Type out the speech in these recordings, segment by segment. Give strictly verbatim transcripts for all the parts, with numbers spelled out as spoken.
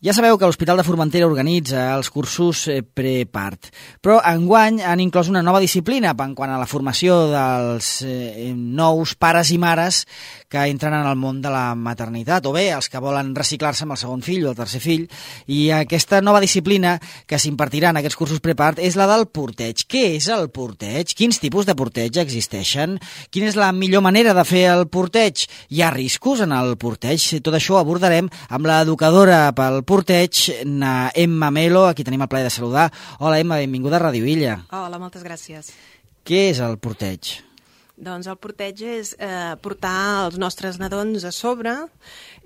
Ja sabeu que l'Hospital de Formentera organitza els cursos prepart, però enguany han inclòs una nova disciplina en quant a la formació dels eh, nous pares i mares que entren en el món de la maternitat, o bé els que volen reciclar-se amb el segon fill o el tercer fill, i aquesta nova disciplina que s'impartirà en aquests cursos prepart és la del porteig. Què és el porteig? Quins tipus de porteig existeixen? Quina és la millor manera de fer el porteig? Hi ha riscos en el porteig? Tot això ho abordarem amb l'educadora pel porteig, na Emma Melo, a qui tenim el plaer de saludar. Hola, Emma, benvinguda a Ràdio Illa. Hola, moltes gràcies. Què és el porteig? Doncs el porteig és eh, portar els nostres nadons a sobre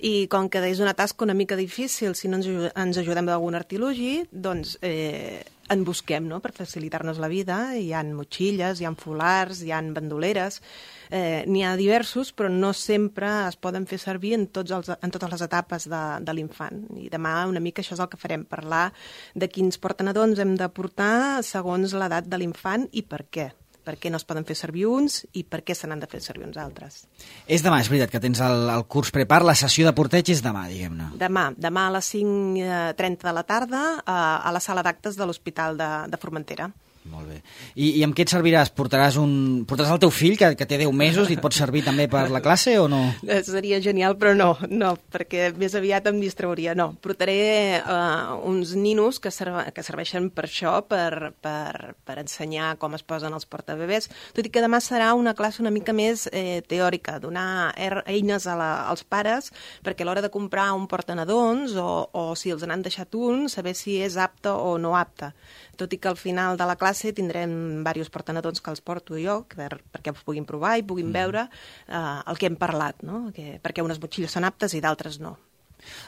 i com que és una tasca una mica difícil, si no ens, ens ajudem d'algun artilugi, doncs eh, en busquem, no?, per facilitar-nos la vida. Hi ha motxilles, hi ha folars, hi ha bandoleres, eh, n'hi ha diversos, però no sempre es poden fer servir en, tots els, en totes les etapes de, de l'infant. I demà una mica això és el que farem, parlar de quins portanadons hem de portar segons l'edat de l'infant i per què. Per què no es poden fer servir uns i per què se n'han de fer servir uns altres. És demà, és veritat, que tens el, el curs prepart, la sessió de porteig és demà, diguem-ne. Demà, demà a les cinc trenta de la tarda a, a la sala d'actes de l'Hospital de, de Formentera. Molt bé. I, I amb què et serviràs? Portaràs, un, portaràs el teu fill, que, que té deu mesos, i et pot servir també per la classe o no? Seria genial, però no, no, perquè més aviat em distrauria. No, portaré uh, uns ninos que, serve, que serveixen per això, per, per, per ensenyar com es posen els portabebès, tot i que demà serà una classe una mica més eh, teòrica, donar er, eines a la, als pares perquè a l'hora de comprar un portanadons o, o si els n'han deixat un, saber si és apte o no apte. Tot i que al final de la classe tindrem diversos portanadons que els porto jo, per, perquè els puguin provar i puguin veure eh, el que hem parlat, no? Que, perquè unes motxilles són aptes i d'altres no.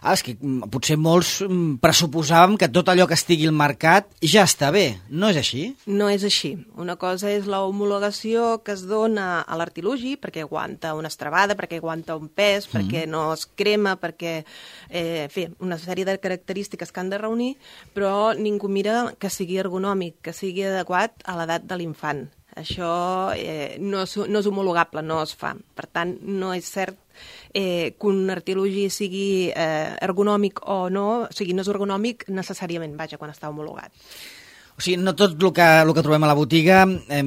Ah, és que potser molts pressuposàvem que tot allò que estigui al mercat ja està bé. No és així? No és així. Una cosa és la homologació que es dona a l'artilugi perquè aguanta una estrabada, perquè aguanta un pes, mm. perquè no es crema, perquè... Eh, fi, una sèrie de característiques que han de reunir, però ningú mira que sigui ergonòmic, que sigui adequat a l'edat de l'infant. Això eh, no, és, no és homologable, no es fa. Per tant, no és cert eh, que un artilugi sigui eh, ergonòmic o no, o sigui, no és ergonòmic necessàriament, vaja, quan està homologat. O sigui, no tot el que, el que trobem a la botiga eh,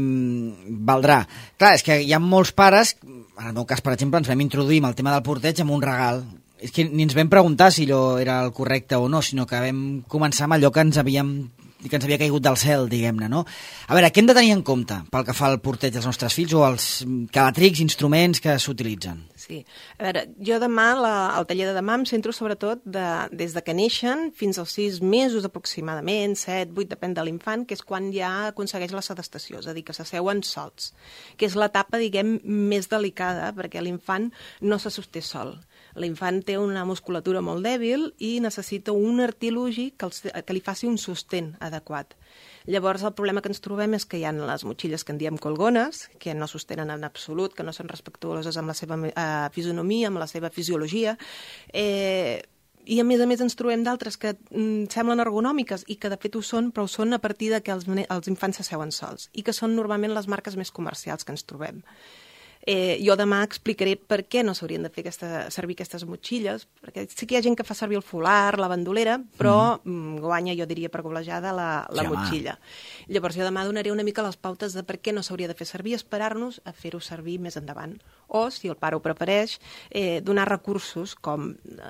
valdrà. Clar, és que hi ha molts pares, en el meu cas, per exemple, ens vam introduir amb el tema del porteig amb un regal. És que ni ens vam preguntar si allò era el correcte o no, sinó que vam començar amb allò que ens havíem que ens havia caigut del cel, diguem-ne, no? A veure, què hem de tenir en compte pel que fa al porteig dels nostres fills o als calatrics, instruments que s'utilitzen? Sí. A veure, jo demà, la, al taller de demà, em centro sobretot de, des de que neixen fins als sis mesos aproximadament, set, vuit, depèn de l'infant, que és quan ja aconsegueix la sedestació, és a dir, que s'asseuen sols, que és l'etapa, diguem, més delicada, perquè l'infant no se sosté sol. L'infant té una musculatura molt dèbil i necessita un artilugi que, els, que li faci un sostén adequat. Llavors, el problema que ens trobem és que hi ha les motxilles que en diem colgones, que no sostenen en absolut, que no són respectuoses amb la seva eh, fisonomia, amb la seva fisiologia, eh, i a més a més ens trobem d'altres que mm, semblen ergonòmiques i que de fet ho són, però ho són a partir de que els, els infants s'asseuen sols i que són normalment les marques més comercials que ens trobem. Eh, jo demà explicaré per què no s'haurien de fer aquesta, servir aquestes motxilles, perquè sí que hi ha gent que fa servir el folar, la bandolera, però mm. guanya, jo diria, per golejada la, la sí, motxilla. Home. Llavors jo demà donaré una mica les pautes de per què no s'hauria de fer servir, esperar-nos a fer-ho servir més endavant. O, si el pare ho prefereix, eh, donar recursos com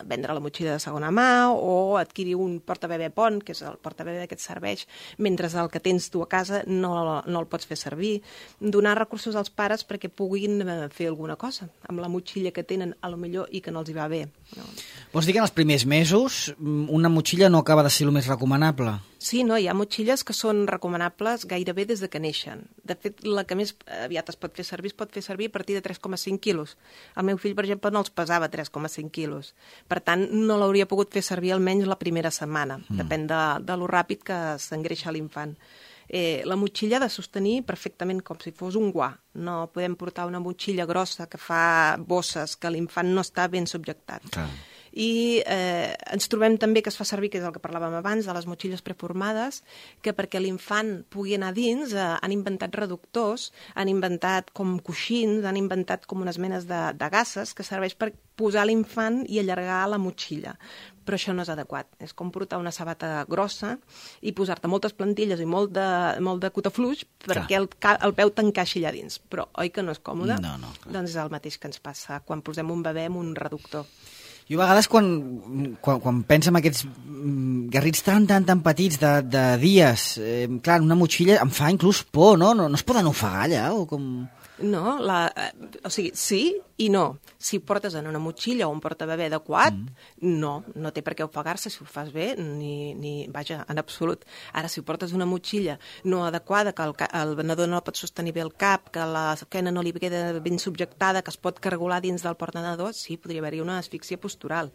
vendre la motxilla de segona mà o adquirir un portabebè pont, que és el portabebè que et serveix mentre el que tens tu a casa no, no el pots fer servir. Donar recursos als pares perquè puguin fer alguna cosa amb la motxilla que tenen, a lo millor, i que no els hi va bé. No? Vols dir que en els primers mesos una motxilla no acaba de ser el més recomanable? Sí, no, hi ha motxilles que són recomanables gairebé des de que neixen. De fet, la que més aviat es pot fer servir es pot fer servir a partir de tres coma cinc quilos. El meu fill, per exemple, no els pesava tres coma cinc quilos. Per tant, no l'hauria pogut fer servir almenys la primera setmana. Mm. Depèn de, de lo ràpid que s'engreixa l'infant. Eh, la motxilla ha de sostenir perfectament com si fos un guà. No podem portar una motxilla grossa que fa bosses, que l'infant no està ben subjectat. Clar. I eh, ens trobem també que es fa servir, que és el que parlàvem abans, de les motxilles preformades, que perquè l'infant pugui anar dins eh, han inventat reductors, han inventat com coixins, han inventat com unes menes de, de gasses que serveix per posar l'infant i allargar la motxilla. però això no és adequat. És com portar una sabata grossa i posar-te moltes plantilles i molt de, molt de cotafluix perquè el, el peu t'encaixi allà dins. Però oi que no és còmode? No, no, clar. Doncs és el mateix que ens passa quan posem un bebè amb un reductor. Jo a vegades quan, quan, quan penso en aquests garrits tan, tan, tan petits de, de dies, eh, clar, una motxilla em fa inclús por, no? No, no es poden ofegar allà o com... No, la, eh, o sigui, sí i no. Si ho portes en una motxilla o un portabebè adequat, mm. no, no té per què ofegar-se si ho fas bé, ni, ni, vaja, en absolut. Ara, si ho portes una motxilla no adequada, que el, el venedor no pot sostenir bé el cap, que la esquena no li queda ben subjectada, que es pot cargolar dins del portanador, sí, podria haver-hi una asfíxia postural.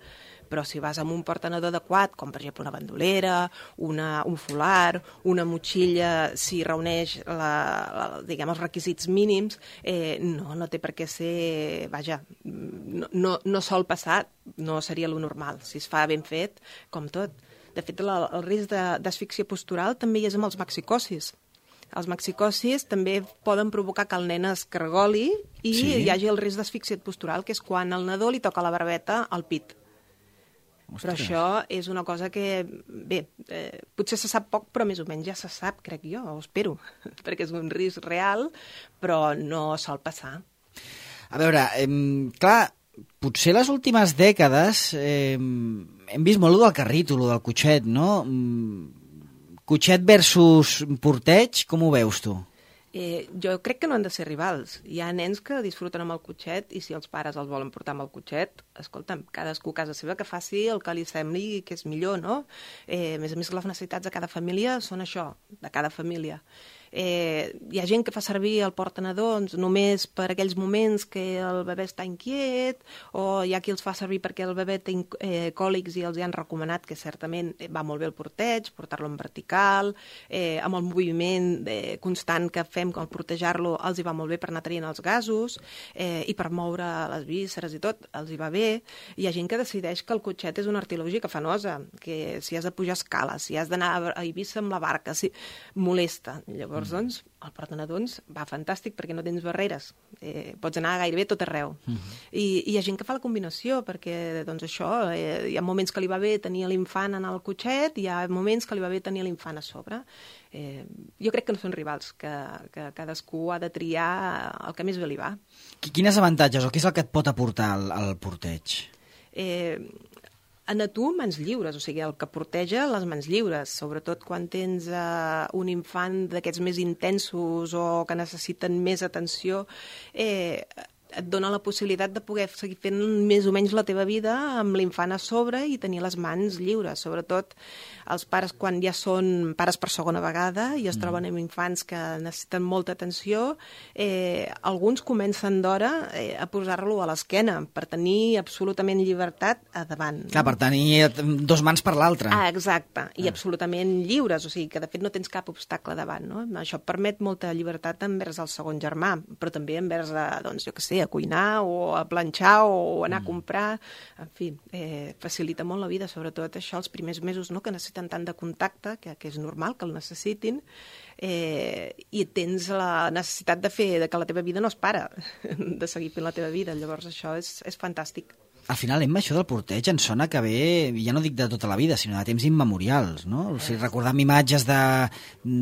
Però si vas amb un portanador adequat, com per exemple una bandolera, una, un folar, una motxilla, si reuneix la, la, diguem, els requisits mínims, eh, no, no té per què ser... Vaja, no, no, no sol passar, no seria lo normal. Si es fa ben fet, com tot. De fet, la, el risc d'asfíxia postural també hi és amb els maxicosis. Els maxicosis també poden provocar que el nen es cargoli i sí. hi hagi el risc d'asfíxia postural, que és quan al nadó li toca la barbeta al pit. Ostres. Però això és una cosa que, bé, eh, potser se sap poc, però més o menys ja se sap, crec jo, ho espero, perquè és un risc real, però no sol passar. A veure, eh, clar, potser les últimes dècades eh, hem vist molt del carrito, del cotxet, no? Cotxet versus porteig, com ho veus tu? Eh, jo crec que no han de ser rivals. Hi ha nens que disfruten amb el cotxet i si els pares els volen portar amb el cotxet, escolta'm, cadascú a casa seva que faci el que li sembli que és millor, no? Eh, a més a més, les necessitats de cada família són això, de cada família. Eh, hi ha gent que fa servir el portanadons només per aquells moments que el bebè està inquiet, o hi ha qui els fa servir perquè el bebè té eh, còlics i els hi han recomanat que certament va molt bé el porteig, portar-lo en vertical, eh, amb el moviment eh, constant que fem al portejar-lo els hi va molt bé per anar traient els gasos eh, i per moure les vísceres i tot, els hi va bé. Hi ha gent que decideix que el cotxet és una artilògia que fa nosa, que si has de pujar escales, si has d'anar a Eivissa amb la barca, si... molesta. Llavors, doncs, el portanadons va fantàstic perquè no tens barreres. Eh, pots anar gairebé tot arreu. Uh-huh. I, I hi ha gent que fa la combinació, perquè, doncs, això, eh, hi ha moments que li va bé tenir l'infant en el cotxet, i hi ha moments que li va bé tenir l'infant a sobre. Eh, jo crec que no són rivals, que, que cadascú ha de triar el que més bé li va. Quines avantatges o què és el que et pot aportar el, el porteig? Eh... En a tu, mans lliures, o sigui, el que porteja les mans lliures, sobretot quan tens uh, un infant d'aquests més intensos o que necessiten més atenció, eh, et dona la possibilitat de poder seguir fent més o menys la teva vida amb l'infant a sobre i tenir les mans lliures. Sobretot els pares quan ja són pares per segona vegada i es mm. troben amb infants que necessiten molta atenció, eh, alguns comencen d'hora eh, a posar-lo a l'esquena per tenir absolutament llibertat a davant. Clar, no? Per tenir dos mans per l'altra. Ah, exacte, i ah. absolutament lliures, o sigui que de fet no tens cap obstacle davant, no? Això permet molta llibertat envers el segon germà, però també envers, a, doncs, jo què sé, a cuinar o a planxar o anar a comprar, en fi, eh, facilita molt la vida, sobretot això els primers mesos, no?, que necessiten tant de contacte, que, que és normal que el necessitin, eh, i tens la necessitat de fer, de que la teva vida no es para, de seguir fent la teva vida, llavors això és, és fantàstic. Al final, Emma, això del porteig em sona que ve, ja no dic de tota la vida, sinó de temps immemorials, no? O sigui, recordant imatges de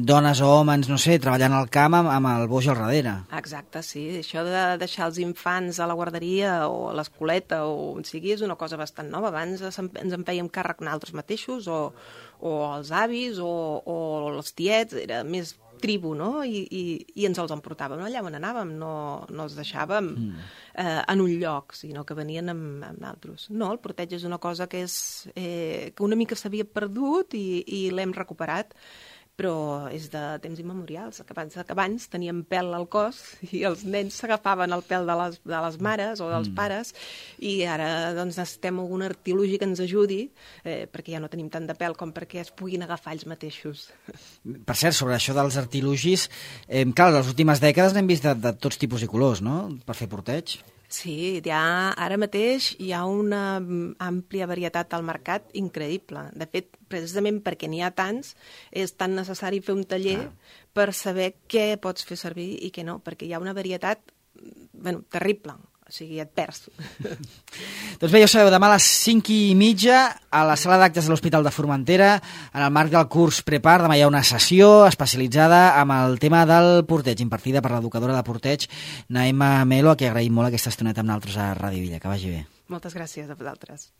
dones o homes, no sé, treballant al camp amb, amb el boix al darrere. Exacte, sí. Això de deixar els infants a la guarderia o a l'escoleta o on sigui és una cosa bastant nova. Abans ens en fèiem càrrec nosaltres mateixos o, o els avis o, o els tiets, era més tribu, no? I, i, i ens els emportàvem allà on anàvem, no, no els deixàvem mm. eh, en un lloc, sinó que venien amb, amb altres. No, el porteig és una cosa que, és, eh, que una mica s'havia perdut i, i l'hem recuperat, però és de temps immemorials, que abans, que abans teníem pèl al cos i els nens s'agafaven el pèl de les, de les mares o dels mm. pares i ara doncs, necessitem algun artilugi que ens ajudi eh, perquè ja no tenim tant de pèl com perquè es puguin agafar ells mateixos. Per cert, sobre això dels artilugis, eh, clar, les últimes dècades n'hem vist de, de tots tipus i colors, no?, per fer porteig. Sí, ja, ara mateix hi ha una àmplia varietat al mercat increïble. De fet, precisament perquè n'hi ha tants, és tan necessari fer un taller ah. per saber què pots fer servir i què no, perquè hi ha una varietat bueno, terrible. o sigui, et perds. Doncs bé, ja ho sabeu, demà a les cinc i mitja a la sala d'actes de l'Hospital de Formentera, en el marc del curs Prepart, demà hi ha una sessió especialitzada amb el tema del porteig, impartida per l'educadora de porteig, Naima Melo, a qui agraïm molt aquesta estoneta amb nosaltres a Ràdio Villa. Que vagi bé. Moltes gràcies a vosaltres.